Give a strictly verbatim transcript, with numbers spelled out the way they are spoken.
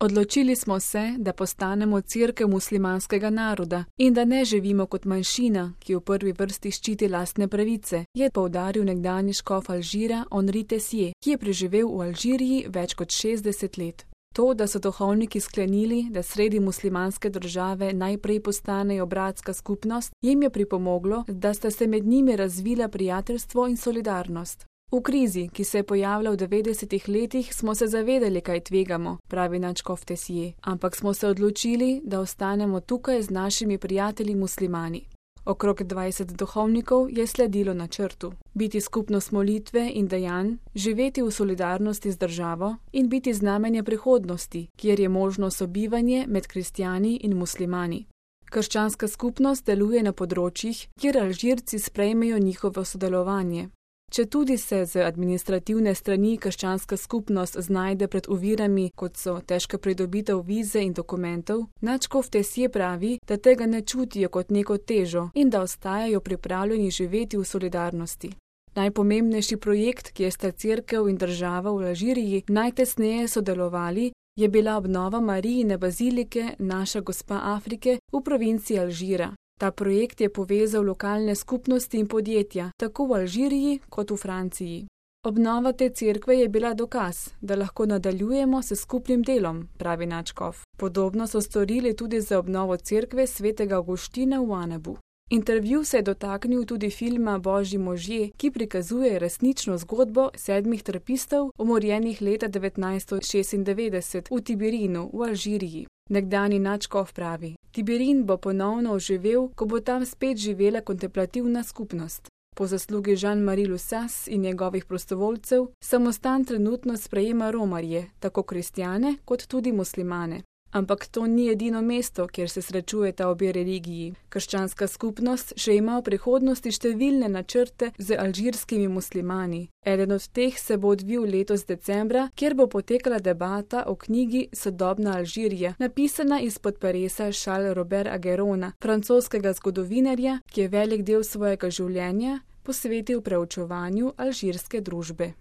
Odločili smo se, da postanemo cerkev muslimanskega naroda in da ne živimo kot manjšina, ki v prvi vrsti ščiti lastne pravice, je poudaril nekdanji škof Alžira Henri Tessier, ki je preživel v Alžiriji več kot šestdeset let. To, da so duhovniki sklenili, da sredi muslimanske države najprej postanejo bratska skupnost, jim je pripomoglo, da sta se med njimi razvila prijateljstvo in solidarnost. V krizi, ki se je pojavila v devetdesetih letih, smo se zavedali, kaj tvegamo, pravi nadškof Tessier, ampak smo se odločili, da ostanemo tukaj z našimi prijatelji muslimani. Okrog dvajset duhovnikov je sledilo načrtu: biti skupnost molitve in dejanj, živeti v solidarnosti z državo in biti znamenje prihodnosti, kjer je možno sobivanje med kristjani in muslimani. Krščanska skupnost deluje na področjih, kjer Alžirci sprejmejo njihovo sodelovanje. Četudi se z administrativne strani krščanska skupnost znajde pred ovirami, kot so težka pridobitev vize in dokumentov, nadškof Tessier pravi, da tega ne čutijo kot neko težo in da ostajajo pripravljeni živeti v solidarnosti. Najpomembnejši projekt, kjer sta cerkev in država v Alžiriji najtesneje sodelovali, je bila obnova Marijine bazilike Naša gospa Afrike v provinci Alžira. Ta projekt je povezal lokalne skupnosti in podjetja, tako v Alžiriji kot v Franciji. Obnova te cerkve je bila dokaz, da lahko nadaljujemo s skupnim delom, pravi nadškof. Podobno so storili tudi za obnovo cerkve svetega Avguština v Anebu. Intervju se je dotaknil tudi filma Božji možje, ki prikazuje resnično zgodbo sedmih trapistov, umorjenih leta devetnajststo šestindevetdeset v Tibirinu v Alžiriji. Nekdanji nadškof pravi: Tibirin bo ponovno oživel, ko bo tam spet živela kontemplativna skupnost. Po zaslugi Jean-Marie Lussas in njegovih prostovoljcev samostan trenutno sprejema romarje, tako kristjane kot tudi muslimane. Ampak to ni edino mesto, kjer se srečujeta obe religiji. Krščanska skupnost še ima v prihodnosti številne načrte z alžirskimi muslimani. Eden od teh se bo odvil letos decembra, kjer bo potekala debata o knjigi Sodobna Alžirija, napisana izpod peresa Charles Robert Agerona, francoskega zgodovinarja, ki je velik del svojega življenja posvetil preučevanju alžirske družbe.